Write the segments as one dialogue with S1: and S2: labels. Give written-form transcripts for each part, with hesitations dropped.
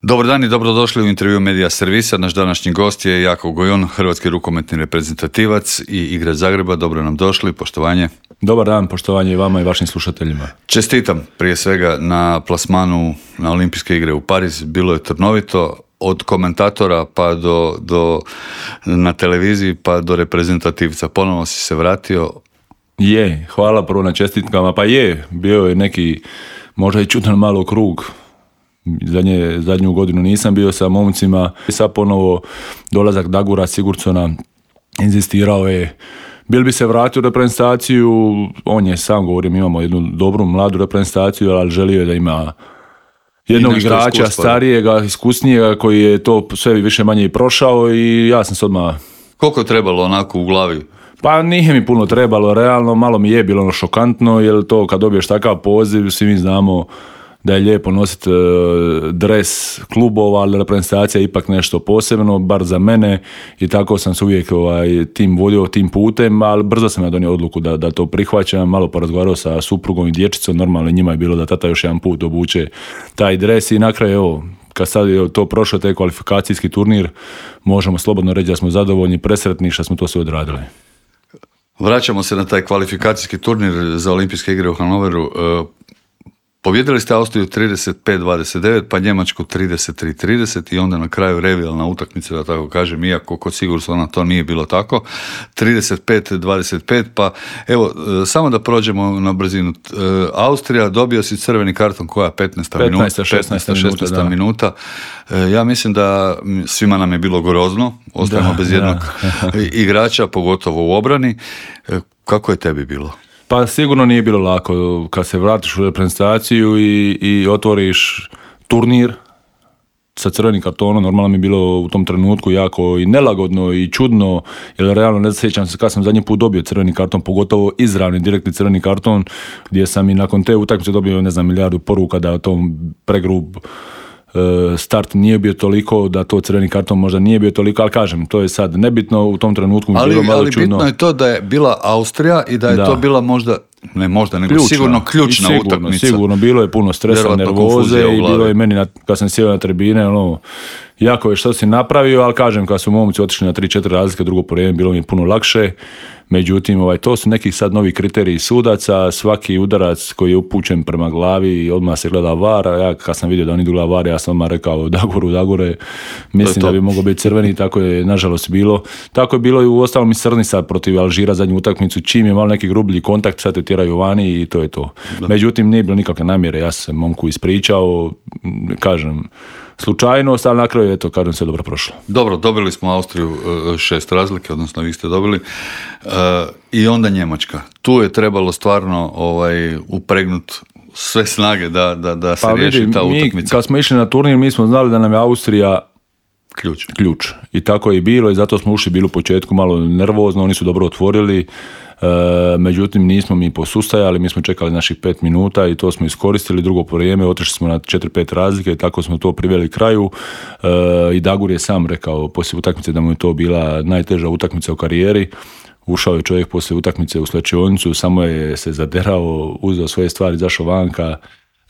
S1: Dobar dan i dobrodošli u intervju Medija Servisa. Naš današnji gost je Jakov Gojon, hrvatski rukometni reprezentativac i igrač Zagreba. Dobro nam došli, poštovanje.
S2: Dobar dan, poštovanje i vama i vašim slušateljima.
S1: Čestitam prije svega na plasmanu na Olimpijske igre u Pariz. Bilo je trnovito, od komentatora pa do na televiziji pa do reprezentativca. Ponovno si se vratio.
S2: Hvala prvo na čestitkama. Pa bio je neki možda i čudan malo krug. Zadnju godinu nisam bio sa momcima. Sad ponovo dolazak Dagura Sigurdsona, inzistirao je, bil bi se vratio u reprezentaciju, on je sam govorio, imamo jednu dobru mladu reprezentaciju, ali želio je da ima jednog igrača starijega, iskusnijega, koji je to sve više manje i prošao i ja sam se odmah...
S1: Koliko je trebalo onako u glavi?
S2: Pa nije mi puno trebalo, realno, malo mi je bilo šokantno, jer to kad dobiješ takav poziv, svi mi znamo da je lijepo nositi dres klubova, ali reprezentacija je ipak nešto posebno, bar za mene, i tako sam se uvijek tim vodio tim putem, ali brzo sam ja donio odluku da to prihvaćam, malo porazgovarao sa suprugom i dječicom, normalno njima je bilo da tata još jedan put obuče taj dres i na kraju, kad sad je to prošlo, taj kvalifikacijski turnir, možemo slobodno reći da smo zadovoljni, presretni što smo to sve odradili.
S1: Vraćamo se na taj kvalifikacijski turnir za Olimpijske igre u Hanoveru. Pobjedili ste Austriju 35-29, pa Njemačku 33-30 i onda na kraju revijalna utakmica, da tako kažem, iako kod Sigurdssona to nije bilo tako, 35-25, pa evo, samo da prođemo na brzinu. Austrija, dobio si crveni karton koja 15-16 minuta. Ja mislim da svima nam je bilo grozno, ostajemo bez jednog igrača, pogotovo u obrani. Kako je tebi bilo?
S2: Pa sigurno nije bilo lako kad se vratiš u reprezentaciju i otvoriš turnir sa crvenim kartonom. Normalno mi je bilo u tom trenutku jako i nelagodno i čudno, jer realno ne sjećam se kad sam zadnji put dobio crveni karton, pogotovo izravni, direktni crveni karton, gdje sam i nakon te utakmice dobio, milijardu poruka da tom pregrub start nije bio toliko, da to crveni karton možda nije bio toliko, ali kažem, to je sad nebitno, u tom trenutku mi bilo malo čudno.
S1: Ali bitno je to da je bila Austrija i da je to bila nego sigurno ključna utakmica.
S2: Sigurno, bilo je puno stresa, nervoze i bilo je meni, kad sam sjeo na tribine, jako je što si napravio, ali kažem, kad su momci otišli na 3-4 razlike, drugo po vrijeme, bilo mi je puno lakše. Međutim, to su neki sad novi kriteriji sudaca, svaki udarac koji je upućen prema glavi, odmah se gleda VAR, ja kad sam vidio da oni idu gleda VAR, ja sam odmah rekao Dagore, mislim da bi mogao biti crveni, tako je nažalost bilo. Tako je bilo i u ostalom i Srni sad protiv Alžira zadnju utakmicu, čim je malo neki grublji kontakt, sad te tjeraju vani i to je to. Međutim, nije bilo nikakve namjere, ja sam momku ispričao, kažem, slučajnost, ali na kraju kažem, sve dobro prošlo.
S1: Dobro, dobili smo Austriju 6 razlike, odnosno vi ste dobili. I onda Njemačka. Tu je trebalo stvarno upregnuti sve snage da se riješi ta utakmica.
S2: Kad smo išli na turnir, mi smo znali da nam je Austrija ključ. I tako je i bilo i zato smo ušli bili u početku malo nervozno, oni su dobro otvorili. Međutim, nismo mi posustajali, mi smo čekali naših 5 minuta i to smo iskoristili, drugo po vrijeme, otišli smo na 4-5 razlike i tako smo to priveli kraju. I Dagur je sam rekao poslije utakmice da mu je to bila najteža utakmica u karijeri. Ušao je čovjek poslije utakmice u slačionicu, samo je se zaderao, uzeo svoje stvari, izašao vanka.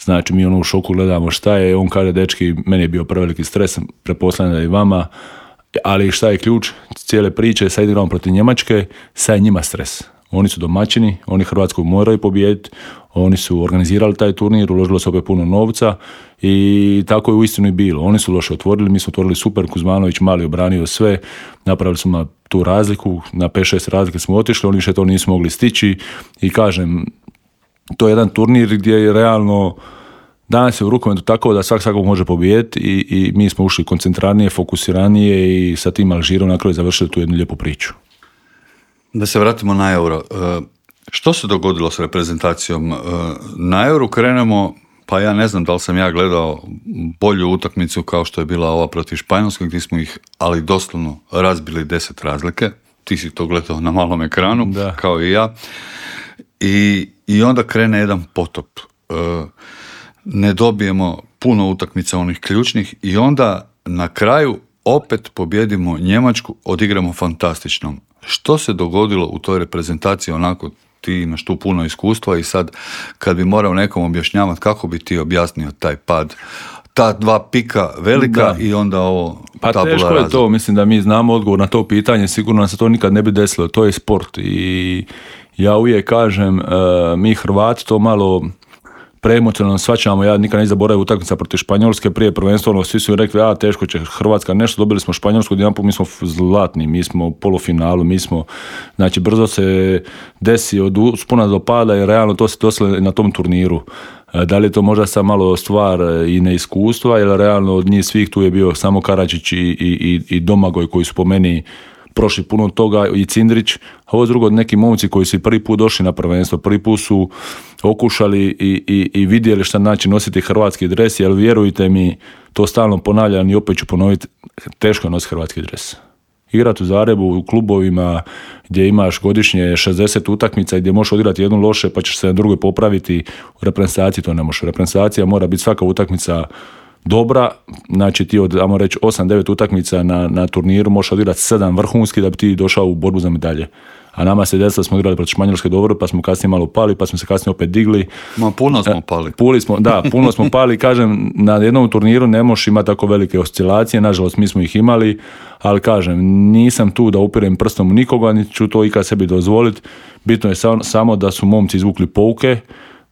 S2: Znači, mi u šoku gledamo šta je, on kaže, dečki, meni je bio preveliki stres, pretpostavljam da i vama, ali šta je ključ cijele priče, sad igramo protiv Njemačke, sad je njima stres. Oni su domaćini, oni Hrvatsku moraju pobijediti, oni su organizirali taj turnir, uložilo se opet puno novca i tako je uistinu i bilo. Oni su loše otvorili, mi smo otvorili super, Kuzmanović mali obranio sve, napravili smo tu razliku, na 5-6 razlike smo otišli, oni više to nisu mogli stići i kažem, to je jedan turnir gdje je realno danas je u rukometu tako da svakog može pobijediti i mi smo ušli koncentranije, fokusiranije i sa tim Alžirom na kraju završili tu jednu lijepu priču.
S1: Da se vratimo na Euro. Što se dogodilo s reprezentacijom? Na Euro krenemo, pa ja ne znam da li sam ja gledao bolju utakmicu kao što je bila ova protiv Španjolske, gdje smo ih, ali doslovno, razbili 10 razlike. Ti si to gledao na malom ekranu, kao i ja. I onda krene jedan potop. Ne dobijemo puno utakmica onih ključnih i onda na kraju opet pobjedimo Njemačku, odigramo fantastično. Što se dogodilo u toj reprezentaciji, onako ti imaš tu puno iskustva i sad kad bi morao nekom objašnjavati, kako bi ti objasnio taj pad ta dva pika velika i onda ovo
S2: pa
S1: tabula
S2: teško je
S1: rasa.
S2: to, mislim da mi znamo odgovor na to pitanje, sigurno se to nikad ne bi desilo, to je sport i ja uvijek kažem, mi Hrvati to malo preemocionalno shvaćamo, ja nikad ne zaboravim utakmica protiv Španjolske prije prvenstva, svi su rekli, teško će Hrvatska nešto, dobili smo Španjolsku, jedanput mi smo zlatni, mi smo u polufinalu, znači brzo se desi od uspona do pada i realno to se desilo na tom turniru. Da li je to možda sad malo stvar i neiskustva, jer realno od njih svih tu je bio samo Karadžić i Domagoj koji su po meni prošli puno toga i Cindrić, a ovo drugo neki momci koji su prvi put došli na prvenstvo, prvi put su okušali i vidjeli šta znači nositi hrvatski dres, jer vjerujte mi, to stalno ponavljam i opet ću ponoviti, teško je nositi hrvatski dres. Igrati u Zagrebu, u klubovima gdje imaš godišnje 60 utakmica i gdje možeš odigrati jednu loše pa ćeš se na drugoj popraviti, u reprezentaciji to ne možeš. Reprezentacija mora biti svaka utakmica dobra, znači ti od, ajmo reći, 8-9 utakmica na turniru možeš odigrati 7 vrhunski da bi ti došao u borbu za medalje. A nama se desilo, smo igrali protiv Španjolske dobro, pa smo kasnije malo pali, pa smo se kasnije opet digli.
S1: Puno smo pali.
S2: Puno smo pali, kažem, na jednom turniru ne možeš imati tako velike oscilacije, nažalost mi smo ih imali, ali kažem, nisam tu da upirem prstom u nikoga, niti ću to ikad sebi dozvoliti. Bitno je samo da su momci izvukli pouke,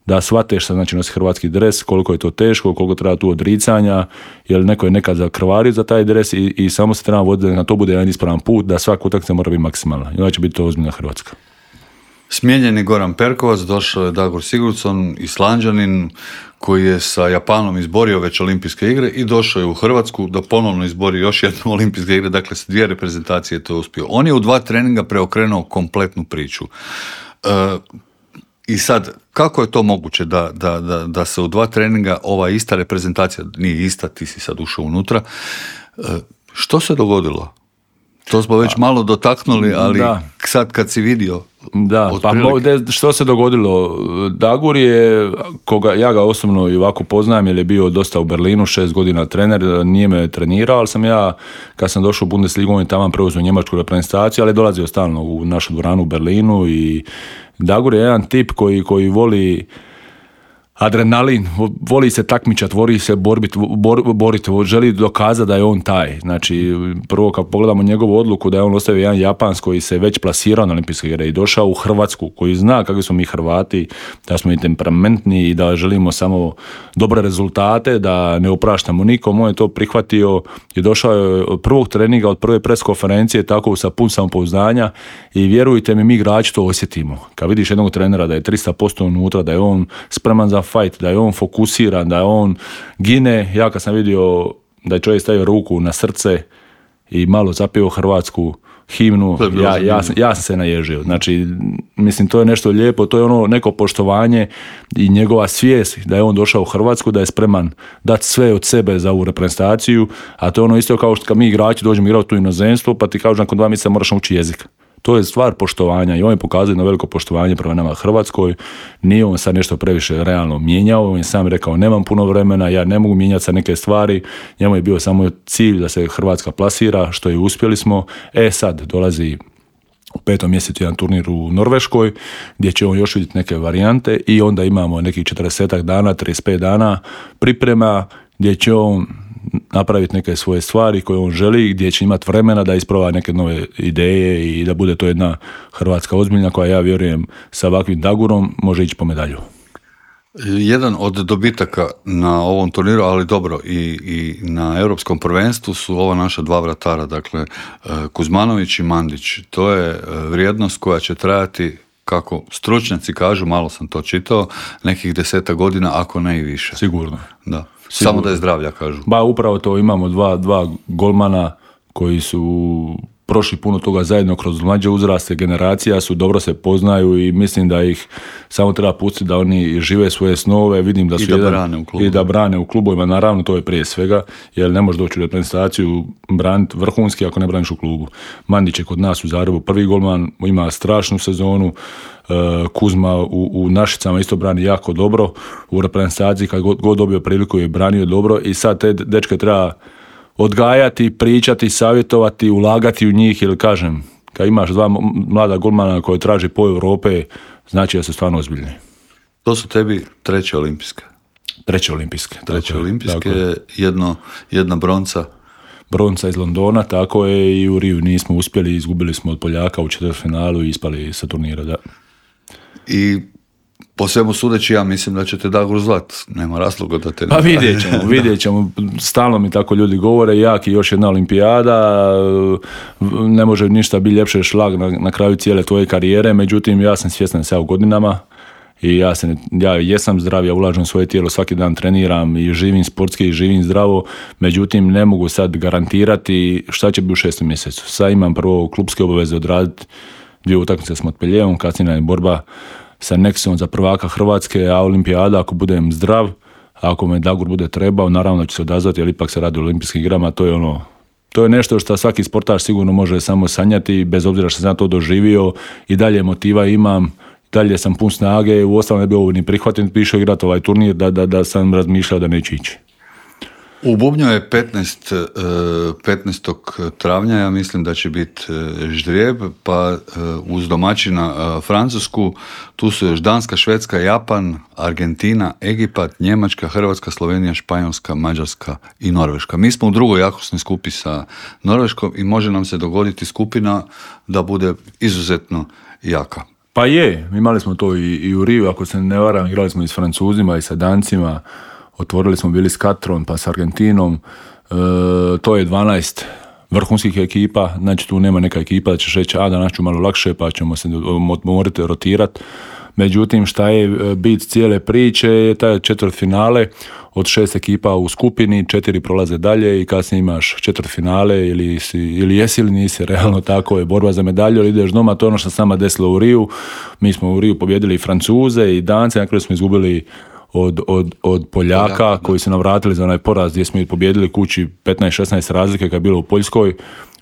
S2: da shvate šta znači nosi hrvatski dres, koliko je to teško, koliko treba tu odricanja, jer neko je nekad zakrvario za taj dres i samo se treba voditi da na to bude jedan ispravan put, da svaka utakmica mora biti maksimalna. I onda će biti to ozbiljna Hrvatska.
S1: Smijenjen je Goran Perkovac, došao je Dagur Sigurdsson, Islanđanin, koji je sa Japanom izborio već olimpijske igre i došao je u Hrvatsku da ponovno izbori još jednu olimpijske igre, dakle s 2 reprezentacije to uspio. On je u 2 treninga preokrenuo kompletnu priču. I sad, kako je to moguće da se u 2 treninga ova ista reprezentacija, nije ista, ti si sad ušao unutra, što se dogodilo? To smo već malo dotaknuli, ali sad kad si vidio...
S2: Da, što se dogodilo? Dagur je, ja ga osobno i ovako poznajem, jer je bio dosta u Berlinu, 6 godina trener, nije me trenirao, ali sam ja, kad sam došao u Bundesligu, on je tamo preuzeo njemačku reprezentaciju, ali je dolazio stalno u našu dvoranu u Berlinu i Dagur je jedan tip koji voli adrenalin, voli se takmičat, voli se boriti, želi dokazati da je on taj. Znači, prvo kad pogledamo njegovu odluku da je on ostavio jedan Japans koji se već plasirao na olimpijske igre i došao u Hrvatsku, koji zna kakvi smo mi Hrvati, da smo i temperamentni i da želimo samo dobre rezultate, da ne opraštamo nikom, on je to prihvatio i došao je od prvog treninga, od prve pres konferencije, tako sa pun samopouzdanja i vjerujte mi, mi igrači to osjetimo. Kad vidiš jednog trenera da je 300% unutra, da je on spreman za fight, da je on fokusiran, da je on gine. Ja kad sam vidio da je čovjek stavio ruku na srce i malo zapio hrvatsku himnu, ja sam se naježio. Znači, mislim, to je nešto lijepo, to je ono neko poštovanje i njegova svijest da je on došao u Hrvatsku, da je spreman dati sve od sebe za ovu reprezentaciju, a to je ono isto kao što kad mi igrači dođemo igrati u inozemstvo, pa ti kažu nakon 2 mjeseca moraš naučiti jezik. To je stvar poštovanja i on je pokazao jedno veliko poštovanje prema nama Hrvatskoj. Nije on sad nešto previše realno mijenjao, on je sam rekao nemam puno vremena, ja ne mogu mijenjati sa neke stvari, njemu je bio samo cilj da se Hrvatska plasira, što je uspjeli smo. Sad dolazi u 5. mjesecu jedan turnir u Norveškoj gdje će on još vidjeti neke varijante i onda imamo nekih 40 dana, 35 dana priprema gdje će on napraviti neke svoje stvari koje on želi, gdje će imati vremena da isprova neke nove ideje i da bude to jedna Hrvatska ozbiljna koja, ja vjerujem, sa ovakvim Dagurom može ići po medalju.
S1: Jedan od dobitaka na ovom turniru, ali dobro i na europskom prvenstvu su ova naša 2 vratara, dakle Kuzmanović i Mandić. To je vrijednost koja će trajati, kako stručnjaci kažu, malo sam to čitao, nekih 10 godina, ako ne i više.
S2: Sigurno.
S1: Da. Samo da je zdravlja, kažu.
S2: Upravo to, imamo dva golmana koji su prošli puno toga zajedno kroz mlađe uzraste, generacija su, dobro se poznaju i mislim da ih samo treba pustiti da oni žive svoje snove, vidim da su da brane u klubovima, naravno to je prije svega, jer ne možeš doći u reprezentaciju braniti vrhunski ako ne braniš u klubu. Mandić je kod nas u Zagrebu prvi golman, ima strašnu sezonu, Kuzma u Našicama isto brani jako dobro, u reprezentaciji kad god dobio priliku je branio dobro i sad te dečke treba odgajati, pričati, savjetovati, ulagati u njih, jer kažem, kad imaš 2 mlada golmana koji traži po Europe, znači da su stvarno ozbiljni.
S1: To su tebi 3. olimpijske.
S2: Treće olimpijske.
S1: Treće olimpijske, jedna bronca.
S2: Bronca iz Londona, tako je, i u Riju nismo uspjeli, izgubili smo od Poljaka u četvrtfinalu i ispali sa turnira, da.
S1: I po svemu sudeći, ja mislim da ćete Dagor zvat. Nema razloga da te...
S2: Pa vidjet ćemo. Stalno mi tako ljudi govore, jak i još jedna olimpijada, ne može ništa biti ljepše šlag na kraju cijele tvoje karijere, međutim, ja sam svjestan sve u godinama i ja jesam zdrav, ja ulažem svoje tijelo, svaki dan treniram i živim sportski i živim zdravo, međutim, ne mogu sad garantirati šta će biti u 6. mjesecu. Sad imam prvo klubske obaveze odraditi, 2 utakmice s Montpellierom, kasnije je borba sa Nexom za prvaka Hrvatske, a olimpijada ako budem zdrav, ako me Dagor bude trebao, naravno će se odazvati, jer ipak se radi o olimpijskim igrama, to je nešto što svaki sportaš sigurno može samo sanjati, bez obzira što sam to doživio, i dalje motiva imam, dalje sam pun snage, u ostalom ne bi ovo ni prihvatim, pišao igrati ovaj turnir, da sam razmišljao da neće ići.
S1: U Bubnju je 15. travnja, ja mislim da će biti ždrijeb, pa uz domaćina Francusku, tu su još Danska, Švedska, Japan, Argentina, Egipat, Njemačka, Hrvatska, Slovenija, Španjolska, Mađarska i Norveška. Mi smo u drugoj jakosnoj skupi sa Norveškom i može nam se dogoditi skupina da bude izuzetno jaka.
S2: Pa je, imali smo to i u Riju, ako se ne varam, igrali smo i s Francuzima i sa Dancima, otvorili smo bili s Katrom pa s Argentinom, to je 12 vrhunskih ekipa, znači tu nema neka ekipa da ćeš reći danas ću malo lakše pa ćemo se morati rotirati. Međutim, šta je bit cijele priče je taj četvrtfinale, od 6 ekipa u skupini, 4 prolaze dalje i kasnije imaš četvrtfinale ili jesi ili nisi, realno tako je borba za medalju, ali ideš doma, to je ono što se nama desilo u Riju. Mi smo u Riju pobjedili i Francuze i Dance, na kraju smo izgubili od Poljaka koji su nam vratili za onaj poraz gdje smo ih pobjedili kući 15-16 razlike kad je bilo u Poljskoj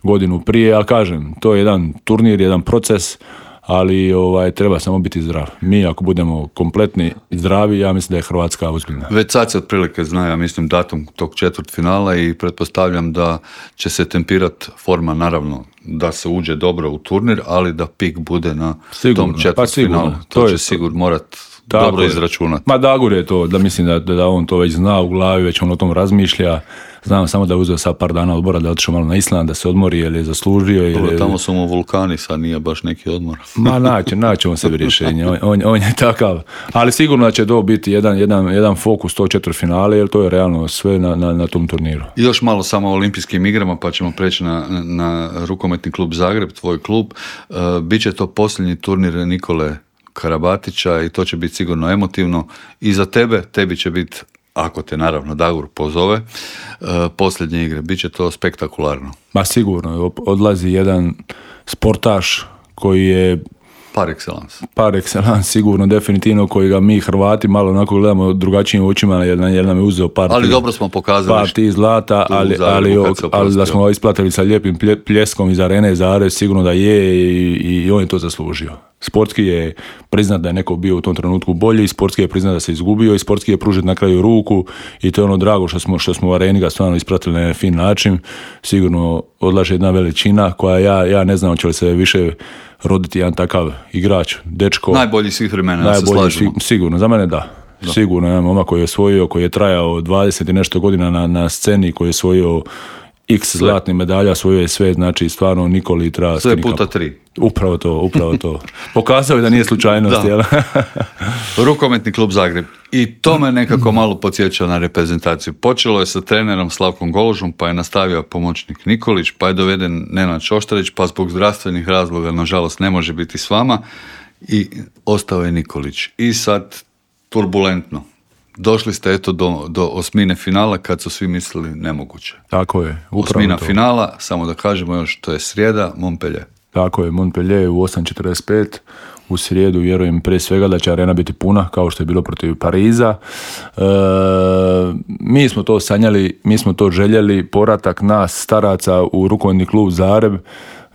S2: godinu prije, ali kažem, to je jedan turnir, jedan proces, ali treba samo biti zdrav. Mi ako budemo kompletni i zdravi, ja mislim da je Hrvatska ozbiljna.
S1: Već sad se otprilike zna, ja mislim, datum tog četvrtfinala i pretpostavljam da će se tempirati forma, naravno, da se uđe dobro u turnir, ali da pik bude na tom četvrtfinalu. To će sigurno morati dobro izračunati.
S2: Ma Dagor je to, da mislim da on to već zna u glavi, već on o tom razmišlja. Znam samo da je uzeo sad par dana odmora, da je otišao malo na Island, da se odmori, jer je zaslužio.
S1: Tamo su mu vulkani, sad nije baš neki odmor.
S2: Ma naći on sebi rješenje, on je takav. Ali sigurno da će to biti jedan fokus to četvrtfinale, jer to je realno sve na tom turniru.
S1: I još malo samo o olimpijskim igrama, pa ćemo preći na rukometni klub Zagreb, tvoj klub. Biće to posljednji turnir Nikole Karabatića i to će biti sigurno emotivno i za tebi će biti, ako te naravno Dagor pozove, posljednje igre. Biće to spektakularno.
S2: Ma sigurno, odlazi jedan sportaš koji je par excellence, sigurno, definitivno, koji ga mi Hrvati malo onako gledamo drugačijim očima, jer nam je uzeo
S1: ali dobro smo pokazali
S2: par ti zlata, ali da smo ga isplatili sa lijepim pljeskom iz arene Zagreb, sigurno da je i on je to zaslužio. Sportski je priznat da je neko bio u tom trenutku bolji, sportski je priznat da se izgubio i sportski je pružiti na kraju ruku i to je ono drago što smo u areni ga stvarno ispratili na fin način. Sigurno odlaže jedna veličina koja ja ne znam hoće li se više roditi jedan takav igrač, dečko.
S1: Najbolji svih vremena, ja se slažemo.
S2: Sigurno, za mene da. Sigurno, jedan momak koji je osvojio, koji je trajao 20 i nešto godina na sceni, koji je osvojio X zlatnih medalja, osvojio je sve, znači stvarno Nikoli treba...
S1: Sve puta 3.
S2: Upravo to. Pokazao je da nije slučajnost.
S1: Rukometni klub Zagreb. I to me nekako malo podsjeća na reprezentaciju. Počelo je sa trenerom Slavkom Goložom, pa je nastavio pomoćnik Nikolić, pa je doveden Nenad Šoštarić, pa zbog zdravstvenih razloga, nažalost, ne može biti s vama i ostao je Nikolić. I sad turbulentno. Došli ste eto do osmine finala kad su svi mislili nemoguće.
S2: Tako je.
S1: Osmina finala, samo da kažemo još, to je srijeda, Montpellier.
S2: Tako je, Montpellier u 8:45. U srijedu vjerujem prije svega da će arena biti puna, kao što je bilo protiv Pariza. Mi smo to sanjali, mi smo to željeli. Povratak nas staraca u rukometni klub Zagreb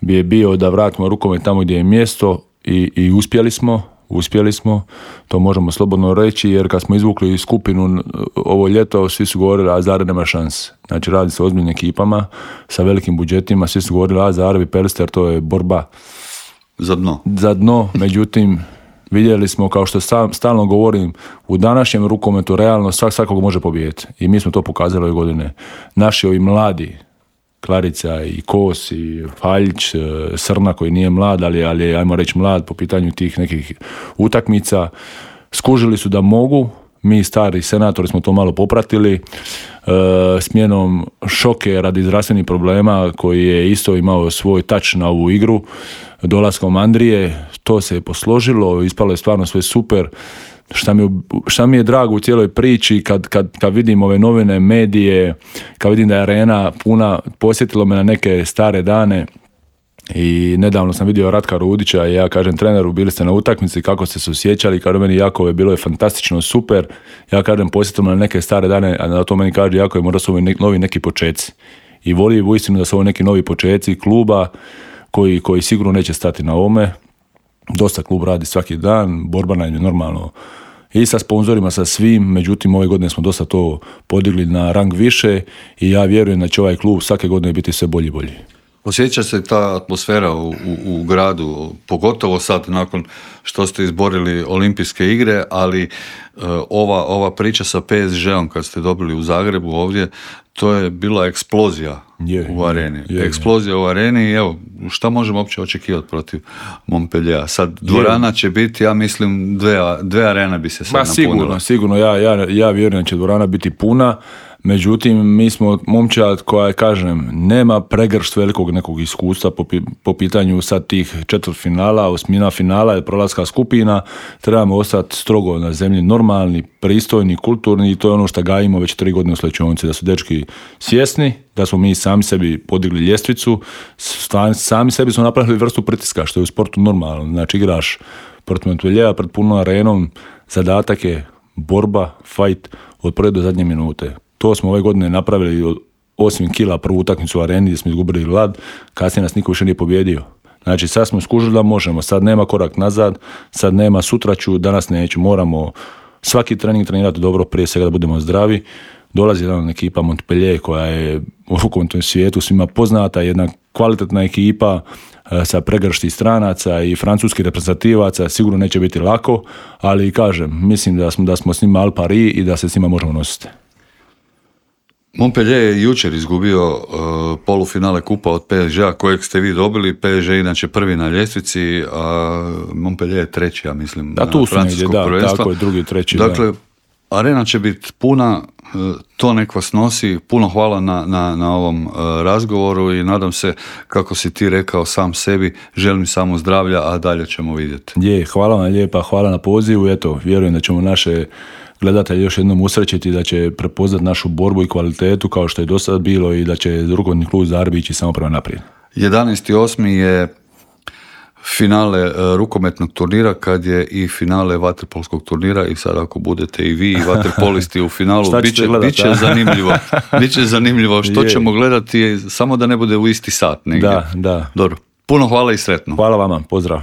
S2: bi je bio da vratimo rukomet tamo gdje je mjesto i uspjeli smo, to možemo slobodno reći, jer kad smo izvukli skupinu ovo ljeto, svi su govorili, a Zagreb nema šanse. Znači radi se o ozbiljnim ekipama, sa velikim budžetima, svi su govorili, a Zagreb i Pelster, to je borba
S1: za dno.
S2: Međutim, Vidjeli smo, kao što stalno govorim, u današnjem rukometu realno svakog može pobijediti. I mi smo to pokazali ove godine. Naši ovi mladi, Klarica i Kos i Faljić, Srna koji nije mlad, ali ajmo reći mlad po pitanju tih nekih utakmica, skužili su da mogu. Mi stari senatori smo to malo popratili, smjenom Šoke radi zdravstvenih problema koji je isto imao svoj touch na ovu igru, dolaskom Andrije, to se je posložilo, ispalo je stvarno sve super. Šta mi je drago u cijeloj priči kad vidim ove novine, medije, kad vidim da je arena puna, posjetilo me na neke stare dane. I nedavno sam vidio Ratka Rudića i ja kažem treneru, bili ste na utakmici, kako ste se osjećali, kaže meni Jakove, bilo je fantastično, super. Ja kažem, posjetimo na neke stare dane, a na to meni kaže Jakove, mora su novi neki počeci. I voli uistinu da su ovo neki novi počeci kluba koji sigurno neće stati na ovome. Dosta klub radi svaki dan, borba nam je normalno i sa sponzorima, sa svim, međutim ove godine smo dosta to podigli na rang više i ja vjerujem da će ovaj klub svake godine biti sve bolji i bolji.
S1: Osjeća se ta atmosfera u gradu, pogotovo sad nakon što ste izborili olimpijske igre, ali ova priča sa PSG-om kad ste dobili u Zagrebu ovdje, to je bila eksplozija u areni. Eksplozija u areni i evo, šta možemo uopće očekivati protiv Montpelliera? Sad dvorana će biti, ja mislim, dve arene bi se sad napunila. Sigurno,
S2: ja vjerujem da će dvorana biti puna. Međutim, mi smo momčad koja, kažem, nema pregršt velikog nekog iskustva po pitanju sad tih četvrtfinala, osmina finala i prolaska skupina. Trebamo ostati strogo na zemlji, normalni, pristojni, kulturni i to je ono što gajimo već 3 godine u Slečionci, da su dečki svjesni, da smo mi sami sebi podigli ljestvicu, sami sebi smo napravili vrstu pritiska, što je u sportu normalno. Znači, igraš protiv Montpelliera pred punom arenom, zadatak je borba, fight od prve do zadnje minute. To smo ove godine napravili, 8 kila prvu utakmicu u areni gdje smo izgubili Lad, kasnije nas niko više nije pobjedio. Znači sad smo skužili da možemo, sad nema korak nazad, sad nema sutra ću, danas neću, moramo svaki trening trenirati dobro, prije svega da budemo zdravi. Dolazi jedna ekipa Montpellier koja je u rukometnom svijetu svima poznata, jedna kvalitetna ekipa sa pregršti stranaca i francuskih reprezentativaca, sigurno neće biti lako, ali kažem, mislim da smo s njima al pari i da se s njima možemo nositi.
S1: Montpellier je jučer izgubio polufinale kupa od PSG-a kojeg ste vi dobili. PSG je inače prvi na ljestvici, a Montpellier je treći, ja mislim,
S2: na francuskog prvenstva. Tako je, drugi, treći.
S1: Dakle, arena će biti puna, to nek vas nosi. Puno hvala na ovom razgovoru i nadam se, kako si ti rekao sam sebi, želim samo zdravlja, a dalje ćemo vidjeti.
S2: Hvala vam lijepa, hvala na pozivu. Eto, vjerujem da ćemo naše gledatelji još jednom usrećiti, da će prepoznati našu borbu i kvalitetu kao što je do sada bilo i da će rukometni klub Zagreb ići samo prema naprijed.
S1: 11.8. je finale rukometnog turnira, kad je i finale vaterpolskog turnira i sad ako budete i vi i vaterpolisti u finalu, bit će zanimljivo što ćemo gledati, samo da ne bude u isti sat negdje.
S2: Da.
S1: Dobro. Puno hvala i sretno.
S2: Hvala vama, pozdrav.